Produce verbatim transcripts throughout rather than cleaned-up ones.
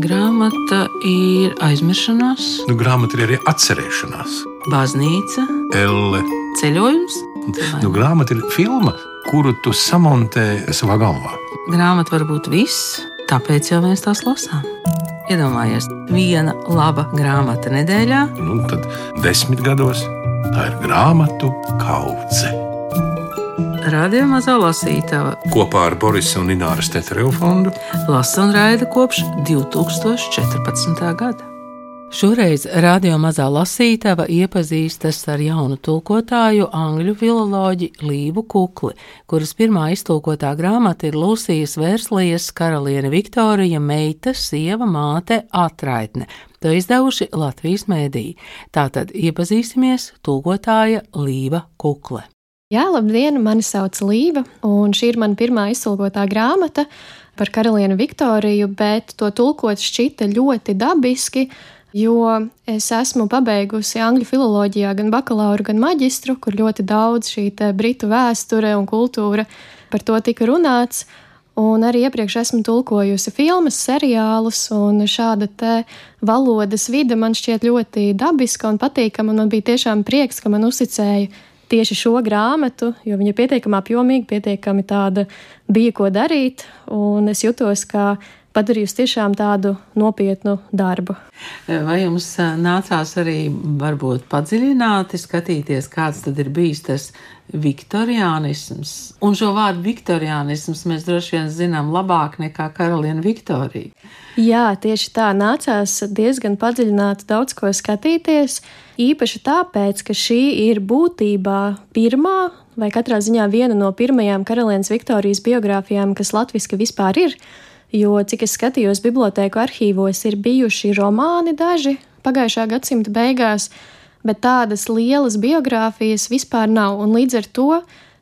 Grāmata ir aizmiršanās, Nu, grāmata ir arī atcerēšanās. baznīca, Elle. ceļojums. Nu, grāmata ir filma, kuru tu samontē savā galvā. Grāmata var būt viss, tāpēc jau mēs tās lasām. Iedomājies, viena laba grāmata nedēļā. Nu, tad desmit gados tā ir grāmatu kaudze. Radio Mazā Lasītava Kopā ar Borisa un Ināras Tetereva fondu lasa un raida kopš divi tūkstoši četrpadsmitā gada. Šoreiz Radio Mazā Lasītava iepazīstas ar jaunu tulkotāju angļu filoloģi Līvu Kukli, kuras pirmā iztulkotā grāmata ir Lūsijas Verslijas Karaliene Viktorija meita, sieva, māte, atraitne. To izdevuši Latvijas mēdī. Tātad iepazīsimies tulkotāja Līva Kukle. Jā, labdien, mani sauc Līva, un šī ir mana pirmā iztulkotā grāmata par Karalieni Viktoriju, bet to tulkot šķita ļoti dabiski, jo es esmu pabeigusi angļu filoloģijā gan bakalauru, gan maģistru, kur ļoti daudz šī te britu vēsture un kultūra par to tika runāts, un arī iepriekš esmu tulkojusi filmas, seriālus, un šāda te valodas vide man šķiet ļoti dabiska un patīkama, un man bija tiešām prieks, ka man uzticēja tieši šo grāmatu, jo viņa ir pietiekami apjomīga, pietiekami tāda bija ko darīt, un es jutos, ka padarījusi tiešām tādu nopietnu darbu. Vai jums nācās arī varbūt padziļināti skatīties, kāds tad ir bijis tas viktoriānisms? Un šo vārdu viktoriānisms mēs droši vien zinām labāk nekā Karaliene Viktorija. Jā, tieši tā, nācās diezgan padziļināti daudz ko skatīties, īpaši tāpēc, ka šī ir būtībā pirmā, vai katrā ziņā viena no pirmajām Karalienes Viktorijas biogrāfijām, kas latviski vispār ir, jo, cik es skatījos bibliotēku arhīvos, ir bijuši romāni daži pagājušā gadsimta beigās, bet tādas lielas biogrāfijas vispār nav, un līdz ar to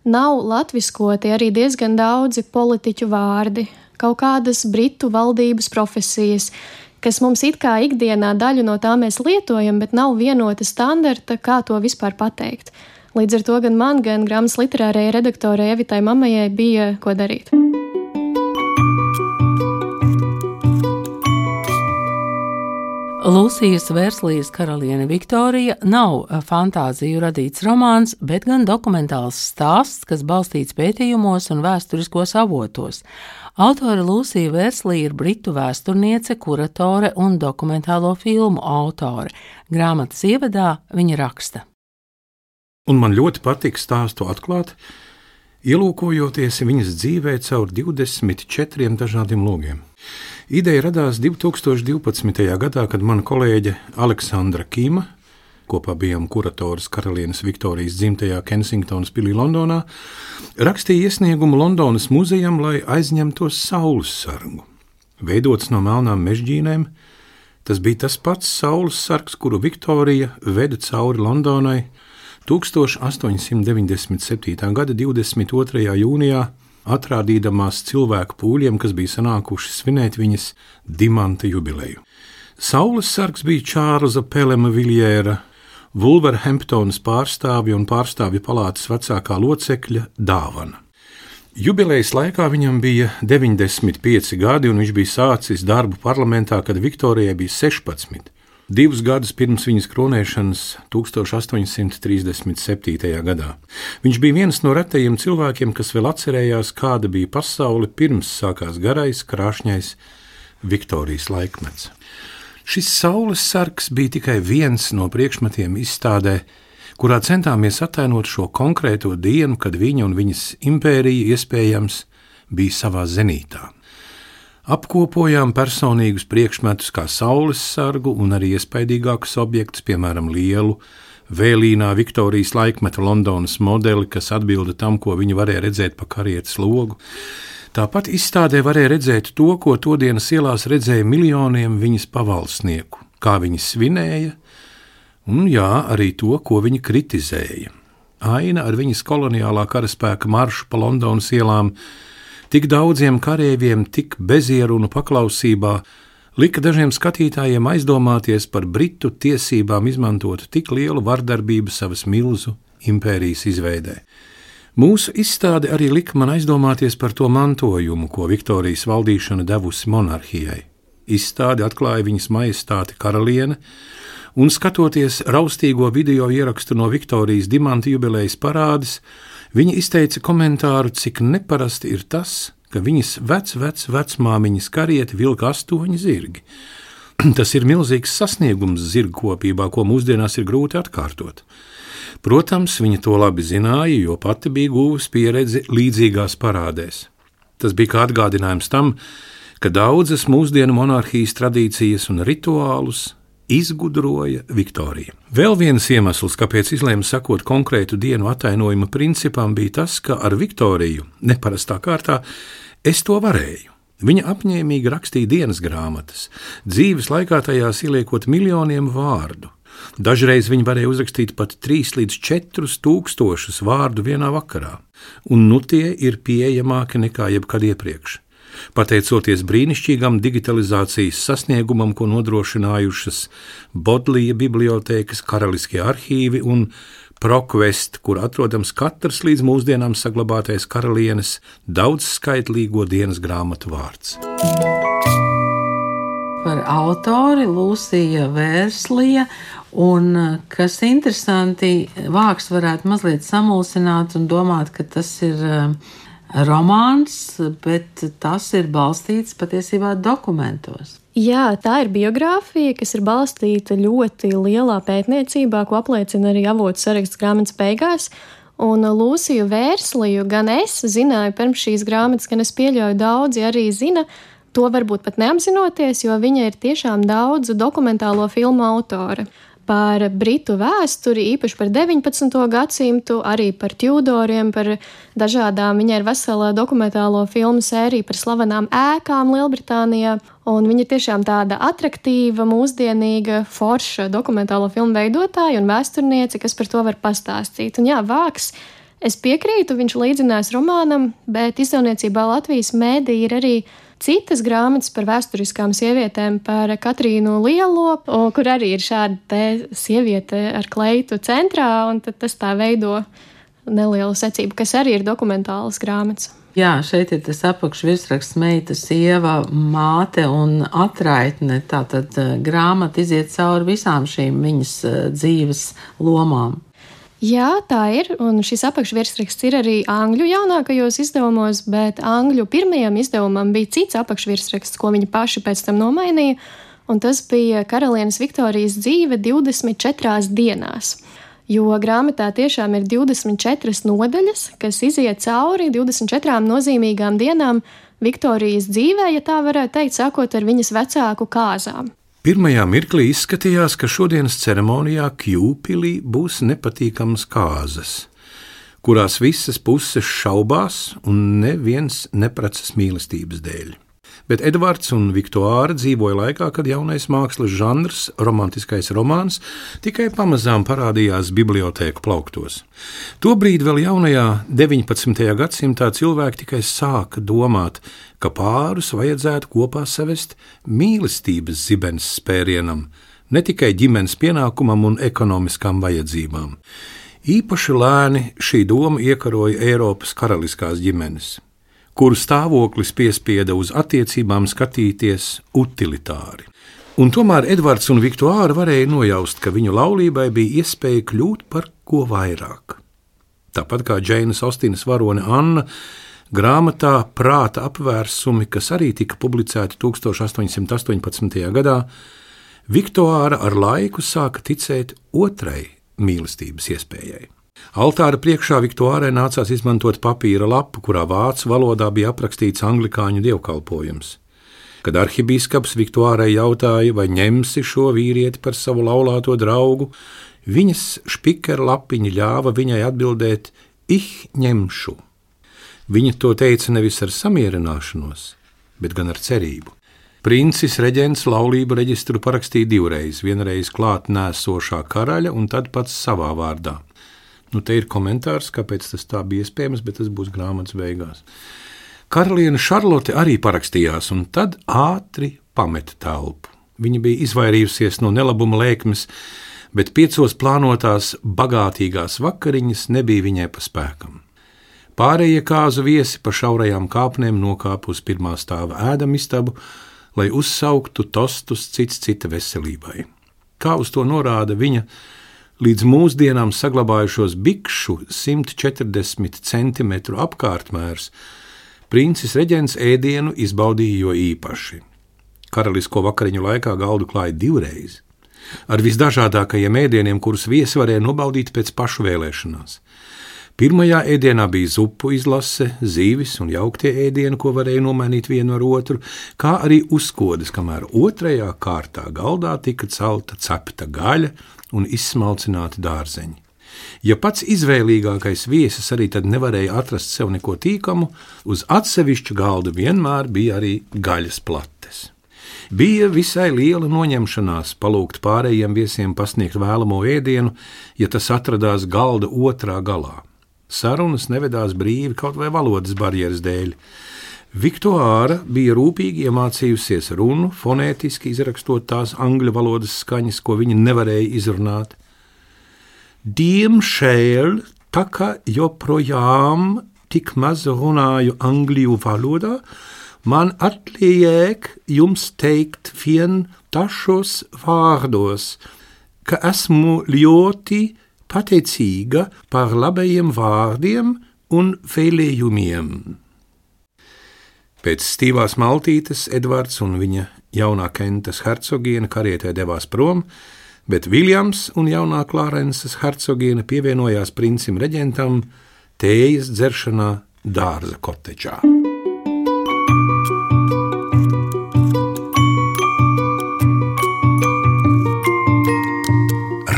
nav latviskoti arī diezgan daudzi politiķu vārdi, kaut kādas britu valdības profesijas, kas mums it kā ikdienā daļu no tā mēs lietojam, bet nav vienota standarta, kā to vispār pateikt. Līdz ar to gan man, gan grāmatas literārajai redaktorai Evitai Mamajai bija ko darīt. Lūsijas Verslijas Karaliene Viktorija nav fantāziju radīts romāns, bet gan dokumentāls stāsts, kas balstīts pētījumos un vēsturiskos avotos. Autore Lūsija Verslija ir britu vēsturniece, kuratore un dokumentālo filmu autore. Grāmatas ievadā viņa raksta. Un man ļoti patīk stāstu atklāt, ielūkojoties viņas dzīvē caur divdesmit četriem dažādiem logiem. Ideja radās divi tūkstoši divpadsmitajā gadā, kad mana kolēģe Aleksandra Kīma, kopā bijām kuratoras Karalienes Viktorijas dzimtajā Kensingtonas pilī Londonā, rakstīja iesniegumu Londonas muzejam, lai aizņemtos saules sargu. Veidots no melnām mežģīnēm, tas bija tas pats saules sargs, kuru Viktorija veda cauri Londonai tūkstoš astoņsimt deviņdesmit septītā gada divdesmit otrajā jūnijā, atrādīdamās cilvēku pūļiem, kas bija sanākuši svinēt viņas dimanta jubileju. Saules sargs bija Čārlza Pelema Viljēra, Vulverhemptonas pārstāvja un pārstāvju palātas vecākā locekļa dāvana. Jubilejas laikā viņam bija deviņdesmit pieci gadi, un viņš bija sācis darbu parlamentā, kad Viktorijai bija sešpadsmit. Divus gadus pirms viņas kronēšanas tūkstoš astoņsimt trīsdesmit septītajā gadā. Viņš bija viens no retajiem cilvēkiem, kas vēl atcerējās, kāda bija pasaule pirms sākās garais, krāšņais Viktorijas laikmets. Šis saules sargs bija tikai viens no priekšmetiem izstādē, kurā centāmies attēlot šo konkrēto dienu, kad viņa un viņas impērija iespējams bija savā zenītā. Apkopojām personīgus priekšmetus kā saules sargu un arī iespaidīgākus objektus, piemēram, lielu, vēlīnā Viktorijas laikmeta Londonas modeli, kas atbilda tam, ko viņi varēja redzēt pa karietes logu. Tāpat izstādē varēja redzēt to, ko todienas ielās redzēja miljoniem viņas pavalsnieku, kā viņi svinēja, un jā, arī to, ko viņi kritizēja. Aina ar viņas koloniālā karaspēka maršu pa Londonas ielām, tik daudziem kareiviem, tik bezierunu paklausībā, lika dažiem skatītājiem aizdomāties par britu tiesībām izmantot tik lielu vardarbību savas milzu impērijas izveidē. Mūsu izstāde arī lika man aizdomāties par to mantojumu, ko Viktorijas valdīšana devusi monarhijai. Izstādi atklāja viņas majestāte karaliene, un skatoties raustīgo video ierakstu no Viktorijas dimanta jubilejas parādes, viņa izteica komentāru, cik neparasti ir tas, ka viņas vec, vec, vecmāmiņas karieti vilka astoņi zirgi. Tas ir milzīgs sasniegums zirgkopībā, ko mūsdienās ir grūti atkārtot. Protams, viņa to labi zināja, jo pati bija guvusi pieredzi līdzīgās parādēs. Tas bija kā atgādinājums tam, ka daudzas mūsdienu monarhijas tradīcijas un rituālus izgudroja Viktorija. Vēl viens iemesls, kāpēc izlēma sakot konkrētu dienu atainojuma principam, bija tas, ka ar Viktoriju, neparastā kārtā, es to varēju. Viņa apņēmīgi rakstīja dienas grāmatas, dzīves laikā tajās ieliekot miljoniem vārdu. Dažreiz viņa varēja uzrakstīt pat trīs līdz četrus tūkstošus vārdu vienā vakarā, un nu tie ir pieejamāki nekā jebkad iepriekš. Pateicoties brīnišķīgam digitalizācijas sasniegumam, ko nodrošinājušas Bodlija bibliotēkas, karaliskie arhīvi un Prokvest, kur atrodams katrs līdz mūsdienām saglabātais karalienes daudzskaitlīgo dienas grāmatu vārds. Par autori Lūsija Vērslija, un, kas interesanti, vārks varētu mazliet samulsināt un domāt, ka tas ir romāns, bet tas ir balstīts patiesībā dokumentos. Jā, tā ir biogrāfija, kas ir balstīta ļoti lielā pētniecībā, ko apliecina arī avotu saraksts grāmatas beigās. Un Lūsiju Vērsliju gan es zināju pirms šīs grāmatas, gan es pieļauju daudzi arī zina, to varbūt pat neapzinoties, jo viņa ir tiešām daudzu dokumentālo filmu autore. Par britu vēsturi, īpaši par deviņpadsmito gadsimtu, arī par Tudoriem, par dažādām. Viņai ir vesela dokumentālo filmu sērija par slavenām ēkām Lielbritānijā, un viņa ir tiešām tāda atraktīva, mūsdienīga, forša dokumentālo filmu veidotāja un vēsturniece, kas par to var pastāstīt. Un jā, vārks, es piekrītu, viņš līdzinās romānam, bet izdevniecībā Latvijas mēdī ir arī citas grāmatas par vēsturiskām sievietēm, par Katrīnu Lielo, kur arī ir šāda te sieviete ar kleitu centrā, un tad tas tā veido nelielu secību, kas arī ir dokumentālas grāmatas. Jā, šeit ir tas apakšvirsraksts meita, sieva, māte un atraitne. Tātad grāmata iziet cauri visām šīm viņas dzīves lomām. Jā, tā ir, un šis apakšvirsraksts ir arī angļu jaunākajos izdevumos, bet angļu pirmajam izdevumam bija cits apakšvirsraksts, ko viņi paši pēc tam nomainīja, un tas bija Karalienes Viktorijas dzīve divdesmit četrās dienās. Jo grāmatā tiešām ir divdesmit četras nodaļas, kas iziet cauri divdesmit četrām nozīmīgām dienām Viktorijas dzīvē, ja tā varētu teikt, sākot ar viņas vecāku kāzām. Pirmajā mirklī izskatījās, ka šodienas ceremonijā Kjūpilī būs nepatīkamas kāzas, kurās visas puses šaubās un neviens neprecas mīlestības dēļ. Bet Edvards un Viktuāra dzīvoja laikā, kad jaunais mākslas žanrs, romantiskais romāns, tikai pamazām parādījās bibliotēku plauktos. Tobrīd vēl jaunajā deviņpadsmitajā gadsimtā cilvēki tikai sāka domāt, ka pārus vajadzētu kopā savest mīlestības zibens spērienam, ne tikai ģimenes pienākumam un ekonomiskām vajadzībām. Īpaši lēni šī doma iekaroja Eiropas karaliskās ģimenes, kuru stāvoklis piespieda uz attiecībām skatīties utilitāri. Un tomēr Edvards un Viktuāra varēja nojaust, ka viņu laulībai bija iespēja kļūt par ko vairāk. Tāpat kā Džeinas Austinas varone Anna, grāmatā Prāta apvērsumi, kas arī tika publicēti tūkstoš astoņsimt astoņpadsmitajā gadā, Viktuāra ar laiku sāka ticēt otrai mīlestības iespējai. Altāra priekšā Viktuārai nācās izmantot papīra lapu, kurā vācu valodā bija aprakstīts anglikāņu dievkalpojums. Kad arhibīskaps Viktuārai jautāja, vai ņemsi šo vīrieti par savu laulāto draugu, viņas špikera lapiņa ļāva viņai atbildēt: Ich ņemšu. Viņa to teica nevis ar samierināšanos, bet gan ar cerību. Princis reģents laulību reģistru parakstīja divreiz, vienreiz klāt nēsošā karaļa un tad pats savā vārdā. Nu, te ir komentārs, kāpēc tas tā bija iespējams, bet tas būs grāmatas beigās. Karaliene Šarlote arī parakstījās, un tad ātri pameta telpu. Viņa bija izvairījusies no nelabuma lēkmes, bet piecos plānotās bagātīgās vakariņas nebija viņai pa spēkam. Pārējie kāzu viesi pa šaurajām kāpnēm nokāpa uz pirmā stāva ēdamistabu, lai uzsauktu tostus cits cita veselībai. Kā uz to norāda viņa līdz mūsdienām saglabājušos bikšu simt četrdesmit centimetru apkārtmērs, princis reģents ēdienu izbaudīja jo īpaši. Karalisko vakariņu laikā galdu klāja divreiz, ar visdažādākajiem ēdieniem, kurus viesi varēja nobaudīt pēc pašu vēlēšanās. Pirmajā ēdienā bija zupu izlase, zīvis un jauktie ēdieni, ko varēja nomainīt vienu ar otru, kā arī uzkodas, kamēr otrajā kārtā galdā tika celta cepta gaļa un izsmalcināti dārzeņi. Ja pats izvēlīgākais viesis arī tad nevarēja atrast sev neko tīkamu, uz atsevišķu galda vienmēr bija arī gaļas plates. Bija visai liela noņemšanās palūgt pārējiem viesiem pasniegt vēlamo ēdienu, ja tas atradās galda otrā galā. Sarunas nevedās brīvi kaut vai valodas barjeras dēļ. Viktuāra bija rūpīgi iemācījusies runu, fonētiski izrakstot tās angļu valodas skaņas, ko viņa nevarēja izrunāt. Diemžēl, tā kā joprojām tik maz runāju angļu valodā, man atliek jums teikt vien dažos vārdos, ka esmu ļoti pateicīga par labajiem vārdiem un vēlējumiem. Pēc stīvās maltītes Edvards un viņa jaunā Kentas hercogiene karietē devās prom, bet Viljams un jaunā Klārenses hercogiene pievienojās princim reģentam tējas dzeršanā dārza kotedžā.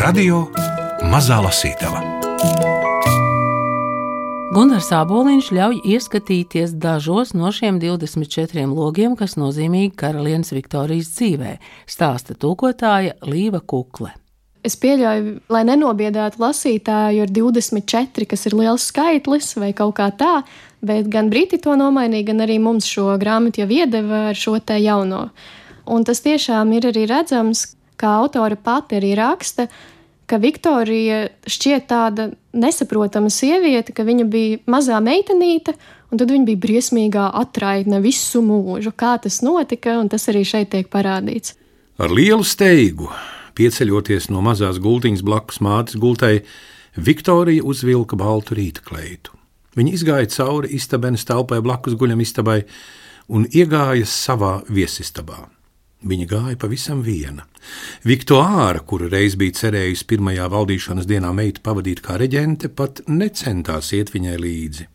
Radio Mazā lasītava. Gunārs Āboliņš ļauj ieskatīties dažos no šiem divdesmit četriem logiem, kas nozīmīgi karalienes Viktorijas dzīvē, stāsta tulkotāja Līva Kukle. Es pieļauju, lai nenobiedātu lasītāju ar divdesmit četri, kas ir liels skaitlis vai kaut kā tā, bet gan briti to nomainīja, gan arī mums šo grāmatu jau iedeva ar šo te jauno. Un tas tiešām ir arī redzams, kā autora pati arī raksta, ka Viktorija šķiet tāda nesaprotama sieviete, ka viņa bija mazā meitenīte, un tad viņa bija briesmīgā atraitne visu mūžu. Kā tas notika, un tas arī šeit tiek parādīts. Ar lielu steigu, pieceļoties no mazās gultiņas blakus mātes gultai, Viktorija uzvilka baltu rītkleitu. Viņa izgāja cauri istabenes telpai blakus guļam istabai un iegāja savā viesistabā. Viņa gāja pavisam viena. Viktuāra, kura reiz bija cerējusi pirmajā valdīšanas dienā meitu pavadīt kā reģente, pat necentās iet viņai līdzi.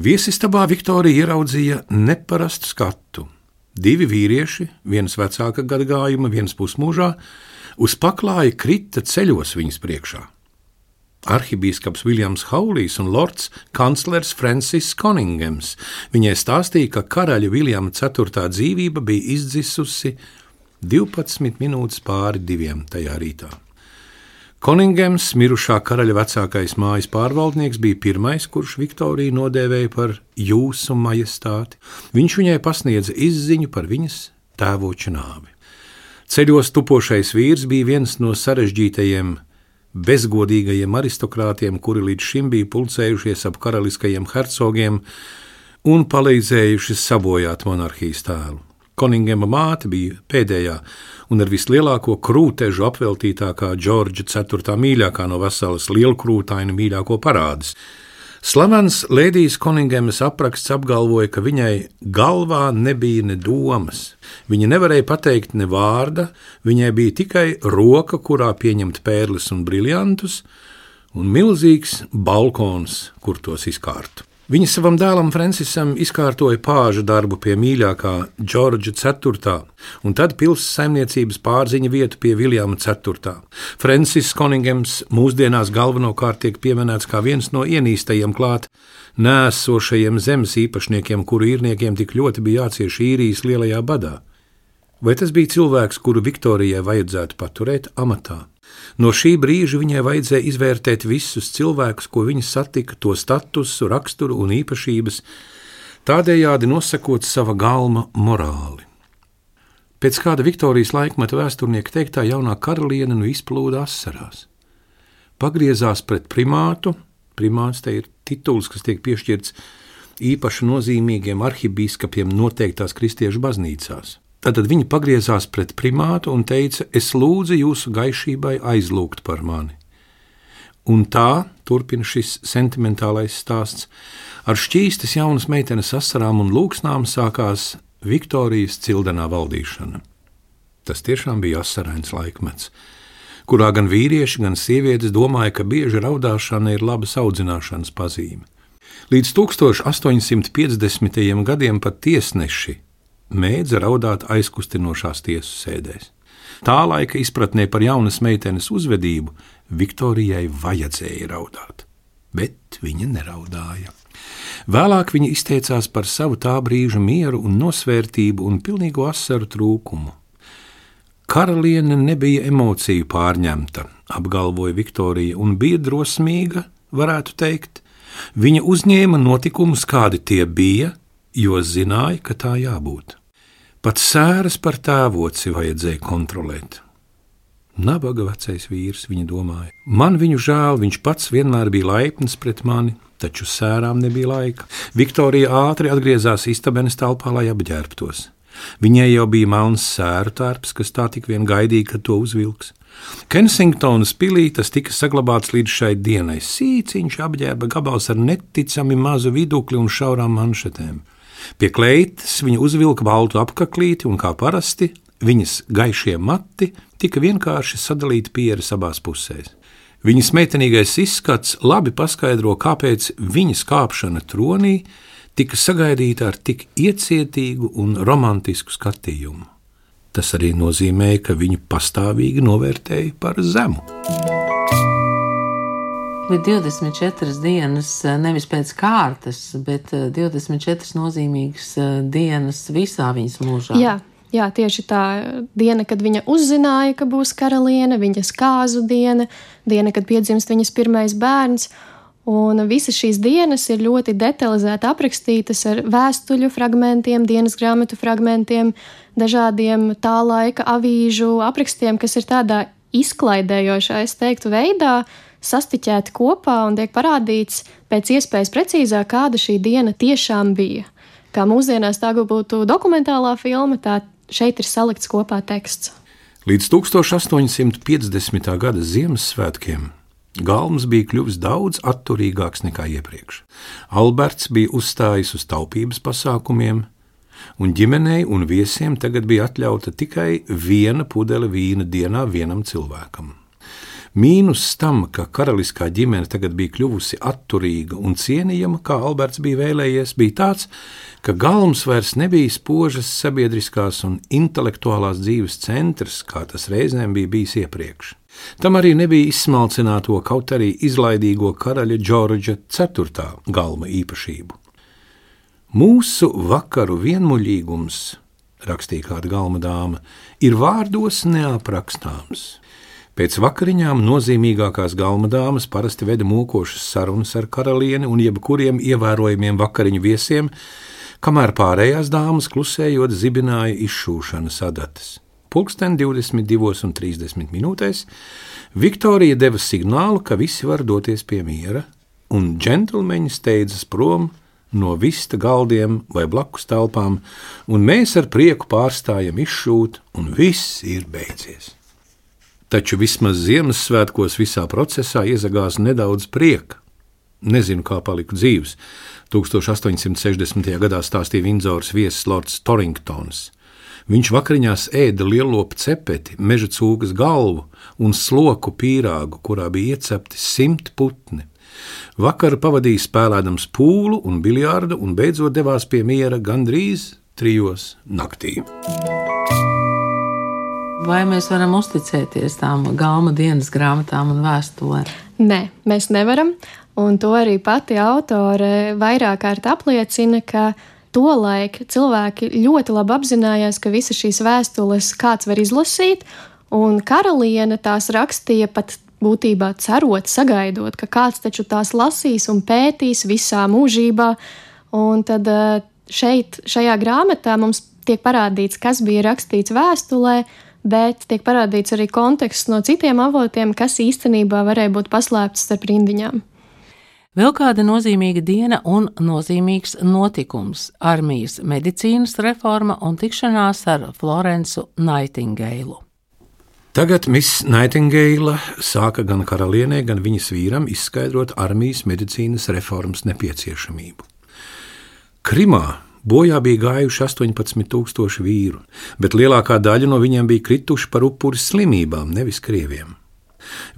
Viesistabā Viktorija ieraudzīja neparastu skatu. Divi vīrieši, viens vecāka gadagājuma, viens pusmūžā, uz paklāja krita ceļos viņas priekšā. Arhibīskaps Viljams Haulijs un lords kanclers Francis Coningams. Viņai stāstīja, ka karaļa Viljama ceturtā dzīvība bija izdzisusi divpadsmit minūtes pāri diviem tajā rītā. Coningams, mirušā karaļa vecākais mājas pārvaldnieks, bija pirmais, kurš Viktoriju nodēvēja par jūsu majestāti. Viņš viņai pasniedza izziņu par viņas tēvoča nāvi. Ceļos tupošais vīrs bija viens no sarežģītajiem bezgodīgajiem aristokrātiem, kuri līdz šim bija pulcējušies ap karaliskajiem hercogiem un palīdzējuši sabojāt monarhijas tēlu. Koningema māte bija pēdējā un ar vislielāko krūtežu apveltītākā Džordža ceturtā mīļākā no veselas lielkrūtaina mīļāko parādes. Slavens Lēdijas Koningemas apraksts apgalvoja, ka viņai galvā nebija ne domas. Viņa nevarēja pateikt ne vārda, viņai bija tikai roka, kurā pieņemt pērles un briljantus, un milzīgs balkons, kur tos izkārtu. Viņa savam dēlam Francisam izkārtoja pāža darbu pie mīļākā Džordža ceturtā, un tad pilsētas saimniecības pārziņa vietu pie Viljama ceturtā. Francis Coningams mūsdienās galvenokārt tiek pieminēts kā viens no ienīstajiem klāt nēsošajiem zemes īpašniekiem, kuru īrniekiem tik ļoti bija jācieš īrijas lielajā badā. Vai tas bija cilvēks, kuru Viktorijai vajadzētu paturēt amatā? No šī brīža viņai vajadzēja izvērtēt visus cilvēkus, ko viņa satika, to statusu, raksturu un īpašības, tādējādi nosakot sava galma morāli. Pēc kāda Viktorijas laikmeta vēsturnieka teiktā, jaunā karaliene nu izplūda asarās. Pagriezās pret primātu, primāts te ir tituls, kas tiek piešķirts īpaši nozīmīgiem arhibīskapiem noteiktās kristiešu baznīcās. Tad viņa pagriezās pret primātu un teica: es lūdzu jūsu gaišībai aizlūgt par mani. Un tā, turpina šis sentimentālais stāsts, ar šķīstas jaunas meitenes asarām un lūksnām sākās Viktorijas cildenā valdīšana. Tas tiešām bija asarains laikmets, kurā gan vīrieši, gan sievietes domāja, ka bieži raudāšana ir labas audzināšanas pazīme. Līdz tukstāš astoņsimt piecdesmitajiem gadiem pat tiesneši mēdza raudāt aizkustinošās tiesu sēdēs. Tā laika izpratnē par jaunas meitenes uzvedību Viktorijai vajadzēja raudāt, bet viņa neraudāja. Vēlāk viņa izteicās par savu tā brīža mieru un nosvērtību un pilnīgu asaru trūkumu. Karaliene nebija emociju pārņemta, apgalvoja Viktorija, un bija drosmīga, varētu teikt. Viņa uzņēma notikumus, kādi tie bija, jo zināja, ka tā jābūt. Pat sēras par tēvoci vajadzēja kontrolēt. Nabaga vecais vīrs, viņa domāja. Man viņu žēl, viņš pats vienmēr bija laipns pret mani, taču sērām nebija laika. Viktorija ātri atgriezās istabenes telpā, lai apģērbtos. Viņai jau bija melns sēru tērps, kas tā tik vien gaidīja, kad to uzvilks. Kensingtonas pilī tas tika saglabāts līdz šai dienai. Sīciņš apģērba gabals ar neticami mazu vidukli un šaurām manšetēm. Pie kleitas viņa uzvilka baltu apaklīti un, kā parasti, viņas gaišie mati tika vienkārši sadalīti pieres abās pusēs. Viņas meitenīgais izskats labi paskaidro, kāpēc viņas kāpšana tronī tika sagaidīta ar tik iecietīgu un romantisku skatījumu. Tas arī nozīmēja, ka viņu pastāvīgi novērtēja par zemu. Bija divdesmit četras dienas, nevis pēc kārtas, bet divdesmit četras nozīmīgas dienas visā viņas mūžā. Jā, jā, tieši tā diena, kad viņa uzzināja, ka būs karaliene, viņas kāzu diena, diena, kad piedzimst viņas pirmais bērns. Un visas šīs dienas ir ļoti detalizēti aprakstītas ar vēstuļu fragmentiem, dienas grāmatu fragmentiem, dažādiem tā laika avīžu aprakstiem, kas ir tādā izklaidējošā, es teiktu, veidā sastiķēti kopā un tiek parādīts pēc iespējas precīzāk, kāda šī diena tiešām bija. Kā mūsdienās tā būtu dokumentālā filma, tā šeit ir salikts kopā teksts. Līdz astoņsimt piecdesmitā gada Ziemassvētkiem Galms bija kļuvis daudz atturīgāks nekā iepriekš. Alberts bija uzstājis uz taupības pasākumiem, un ģimenei un viesiem tagad bija atļauta tikai viena pudele vīna dienā vienam cilvēkam. Mīnus tam, ka karaliskā ģimene tagad bija kļuvusi atturīga un cienījama, kā Alberts bija vēlējies, bija tāds, ka Galms vairs nebija spožas sabiedriskās un intelektuālās dzīves centrs, kā tas reizēm bija bijis iepriekš. Tam arī nebija izsmalcināto, kaut arī izlaidīgo karaļa Džordža ceturtā Galma īpašību. Mūsu vakaru vienmuļīgums, rakstīja kāda Galma dāma, ir vārdos neaprakstāms. Pēc vakariņām nozīmīgākās Galma dāmas parasti veda mokošas sarunas ar karalieni un jebkuriem ievērojumiem vakariņu viesiem, kamēr pārējās dāmas klusējot zibināja izšūšanas adatas. Pulksten divdesmit divos un trīsdesmit minūtēs Viktorija deva signālu, ka visi var doties pie miera, un džentlmeņi steidzas prom no vista galdiem vai blakus telpām, un mēs ar prieku pārstājam izšūt, un viss ir beidzies. Taču vismaz Ziemassvētkos visā procesā iezagās nedaudz prieka. Nezinu, kā paliku dzīvs. astoņsimt sešdesmitajā gadā stāstīja Vindzors viesis lords Torringtons. Viņš vakariņās ēda lielopu cepeti, meža cūkas galvu un sloku pīrāgu, kurā bija iecepti simt putni. Vakaru pavadīja spēlēdams pūlu un biljārdu un beidzot devās pie miera gandrīz trijos naktī. Vai mēs varam uzticēties tām Galma dienas grāmatām un vēstulēm? Nē, mēs nevaram, un to arī pati autore vairāk kārt apliecina, ka tolaik cilvēki ļoti labi apzinājās, ka visas šīs vēstules kāds var izlasīt, un karaliene tās rakstīja pat būtībā cerot, sagaidot, ka kāds taču tās lasīs un pētīs visā mūžībā, un tad šeit, šajā grāmatā mums tiek parādīts, kas bija rakstīts vēstulē, bet tiek parādīts arī konteksts no citiem avotiem, kas īstenībā varēja būt paslēpts starp rindiņām. Vēl kāda nozīmīga diena un nozīmīgs notikums – armijas medicīnas reforma un tikšanās ar Florencu Naitingeilu. Tagad Miss Naitingeila sāka gan karalienei, gan viņas vīram izskaidrot armijas medicīnas reformas nepieciešamību. Krimā bojā bija gājuši astoņpadsmit tūkstoši vīru, bet lielākā daļa no viņiem bija krituši par upuri slimībām, nevis krieviem.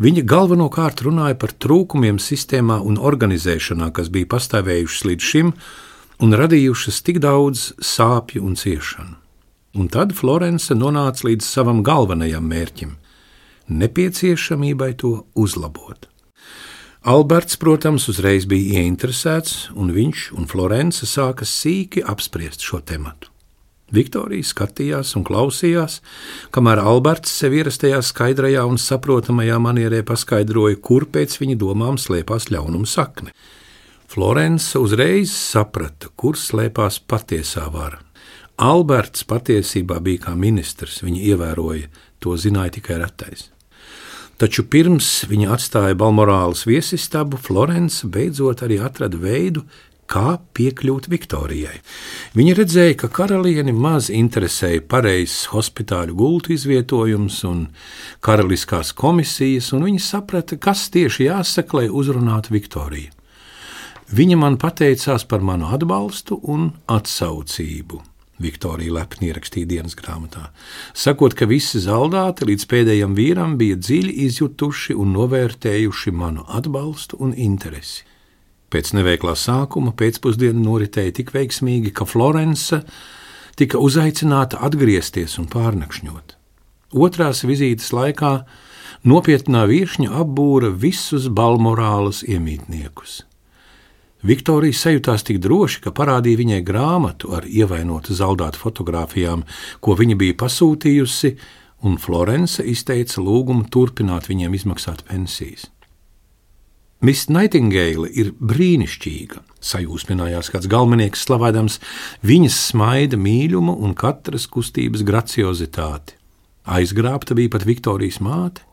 Viņa galvenokārt runāja par trūkumiem sistēmā un organizēšanā, kas bija pastāvējušas līdz šim un radījušas tik daudz sāpju un ciešanu. Un tad Florence nonāca līdz savam galvenajam mērķim – nepieciešamībai to uzlabot. Alberts, protams, uzreiz bija ieinteresēts, un viņš un Florence sāka sīki apspriest šo tematu. Viktorija skatījās un klausījās, kamēr Alberts sev ierastajā skaidrajā un saprotamajā manierē paskaidroja, kur pēc viņa domām slēpās ļaunuma sakne. Florence uzreiz saprata, kur slēpās patiesā vara. Alberts patiesībā bija kā ministrs, viņa ievēroja, to zināja tikai retais. Taču pirms viņa atstāja Balmorāles viesistabu, Florence beidzot arī atrada veidu, kā piekļūt Viktorijai. Viņa redzēja, ka karalieni maz interesēja pareizs hospitāļu gultu izvietojums un karaliskās komisijas, un viņa saprata, kas tieši jāsaka, lai uzrunātu Viktoriju. Viņa man pateicās par manu atbalstu un atsaucību. Viktorija lepni ierakstīja dienas grāmatā, sakot, ka visi zaldāti līdz pēdējam vīram bija dziļi izjutuši un novērtējuši manu atbalstu un interesi. Pēc neveiklā sākuma pēcpusdiena noritēja tik veiksmīgi, ka Florence tika uzaicināta atgriezties un pārnakšņot. Otrās vizītes laikā nopietnā viešņa apbūra visus Balmorāles iemītniekus. Viktorija sajūtās tik droši, ka parādīja viņai grāmatu ar ievainotu zaldātu fotogrāfijām, ko viņa bija pasūtījusi, un Florence izteica lūgumu turpināt viņiem izmaksāt pensijas. Miss Naitingeila ir brīnišķīga, sajūsminājās kāds galvenieks slavādams viņas smaida mīļumu un katras kustības graciozitāti. Aizgrābta bija pat Viktorijas māte.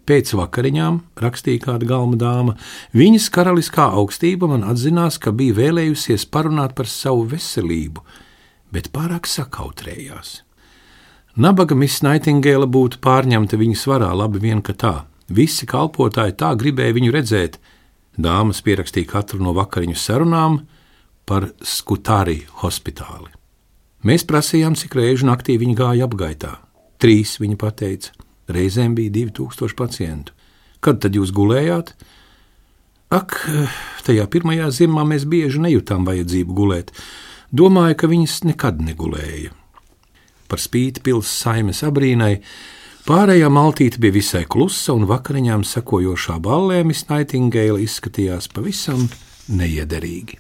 Pēc vakariņām, rakstīja kāda galma dāma, viņas karaliskā augstība man atzinās, ka bija vēlējusies parunāt par savu veselību, bet pārāk sakautrējās. Nabaga Miss Naitingeila būtu pārņemta viņas varā, labi vien, ka tā. Visi kalpotāji tā gribēja viņu redzēt. Dāmas pierakstīja katru no vakariņu sarunām par Skutari hospitāli. Mēs prasījām, cik reižu naktī viņa gāja apgaitā. Trīs, viņa pateica. Reizēm bija divi tūkstoši pacientu. Kad tad jūs gulējāt? Ak, tajā pirmajā ziemā mēs bieži nejūtām vajadzību gulēt. Domāju, ka viņas nekad negulēja. Par spīti pils saimes abrīnai, pārējā maltīte bija visai klusa, un vakariņām sekojošā ballē Miss Naitingeila izskatījās pavisam neiederīgi.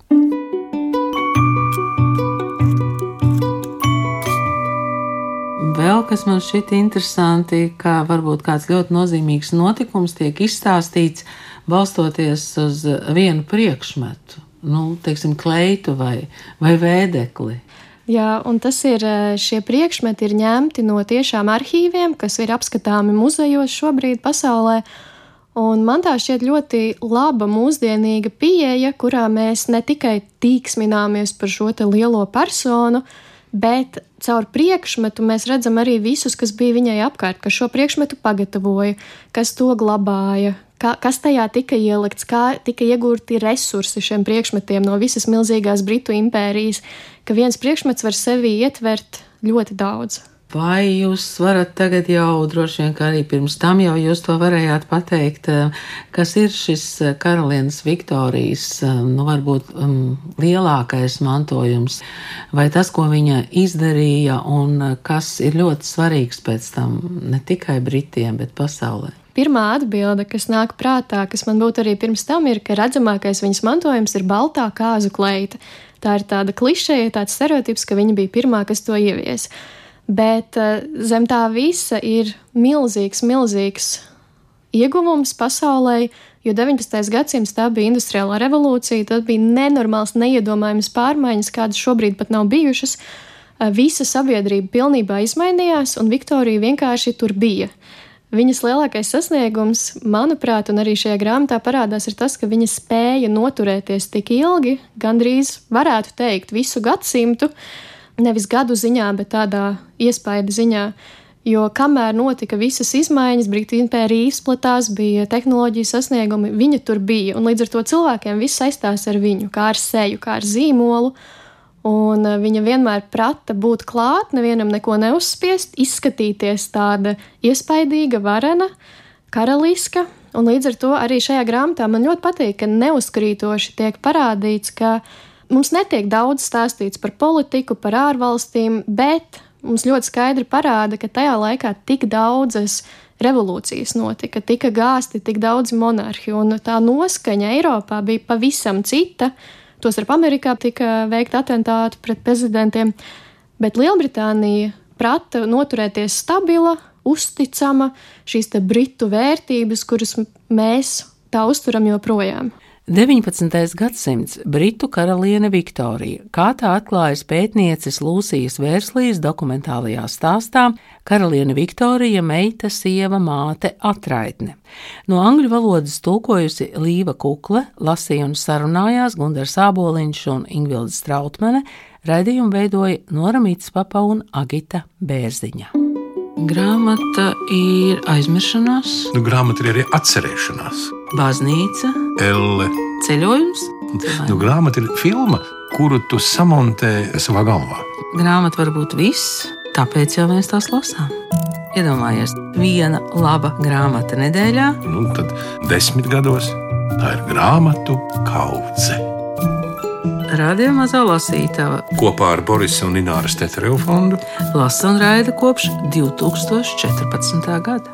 Vēl kas man šķiet interesanti, ka varbūt kāds ļoti nozīmīgs notikums tiek izstāstīts balstoties uz vienu priekšmetu, nu, teiksim, kleitu vai, vai vēdekli. Jā, un tas ir, šie priekšmeti ir ņemti no tiešām arhīviem, kas ir apskatāmi muzejos šobrīd pasaulē, un man tā šķiet ļoti laba mūsdienīga pieeja, kurā mēs ne tikai tīksmināmies par šo te lielo personu, bet caur priekšmetu mēs redzam arī visus, kas bija viņai apkārt, kas šo priekšmetu pagatavoja, kas to glabāja, kā, kas tajā tika ielikts, kā tika iegūti resursi šiem priekšmetiem no visas milzīgās Britu impērijas, ka viens priekšmets var sevi ietvert ļoti daudz. Vai jūs varat tagad jau, droši vien, ka arī pirms tam jau jūs to varējāt pateikt, kas ir šis karalienes Viktorijas, nu varbūt um, lielākais mantojums, vai tas, ko viņa izdarīja un kas ir ļoti svarīgs pēc tam ne tikai Britiem, bet pasaulē? Pirmā atbilde, kas nāk prātā, kas man būtu arī pirms tam, ir, ka redzamākais viņas mantojums ir baltā kāzu kleita. Tā ir tāda klišeja, tāds stereotips, ka viņa bija pirmā, kas to ieviesa. Bet zem tā visa ir milzīgs, milzīgs ieguvums pasaulē, jo deviņpadsmitais gadsimts tā bija industriālā revolūcija, tad bija nenormāls, neiedomājamas pārmaiņas, kādas šobrīd pat nav bijušas. Visa sabiedrība pilnībā izmainījās, un Viktorija vienkārši tur bija. Viņas lielākais sasniegums, manuprāt, un arī šajā grāmatā parādās, ir tas, ka viņa spēja noturēties tik ilgi, gandrīz varētu teikt visu gadsimtu, nevis gadu ziņā, bet tādā iespaida ziņā. Jo kamēr notika visas izmaiņas, Britu impērija izplatās, bija tehnoloģijas sasniegumi, viņa tur bija. Un līdz ar to cilvēkiem viss saistās ar viņu, kā ar seju, kā ar zīmolu. Un viņa vienmēr prata būt klāt, nevienam neko neuzspiest, izskatīties tāda iespaidīga, varena, karaliska. Un līdz ar to arī šajā grāmatā man ļoti patīk, ka neuzkrītoši tiek parādīts, ka mums netiek daudz stāstīts par politiku, par ārvalstīm, bet mums ļoti skaidri parāda, ka tajā laikā tik daudzas revolūcijas notika, tika gāsti tik daudzi monarhi, un tā noskaņa Eiropā bija pavisam cita. Tostarp Amerikā tika veikta atentāti pret prezidentiem, bet Lielbritānija prata noturēties stabila, uzticama, šīs te britu vērtības, kuras mēs tā uzturam joprojām. deviņpadsmitais gadsimts Britu karaliene Viktorija, kā tā atklājas pētnieces Lūsijas Vērslīs dokumentālajā stāstā Karaliene Viktorija, meita, sieva, māte, atraitne. No angļu valodas tulkojusi Līva Kukle, lasīja un sarunājās Gundars Āboliņš un Ingvilde Strautmane, raidījumu veidoja Nora Mitspapa un Agita Bērziņa. Grāmata ir aizmiršanās, Nu, grāmata ir arī atcerēšanās. baznīca, Elle. ceļojums. Nu, grāmata ir filma, kuru tu samontē savā galvā. Grāmata var būt viss, tāpēc jau mēs tās lasām. Iedomājies, viena laba grāmata nedēļā. Nu, tad desmit gados tā ir grāmatu kaudze. Radio Mazā Lasītava Kopā ar Borisa un Ināras Teterevu fondu lasa un raida kopš divi tūkstoši četrpadsmitā gada.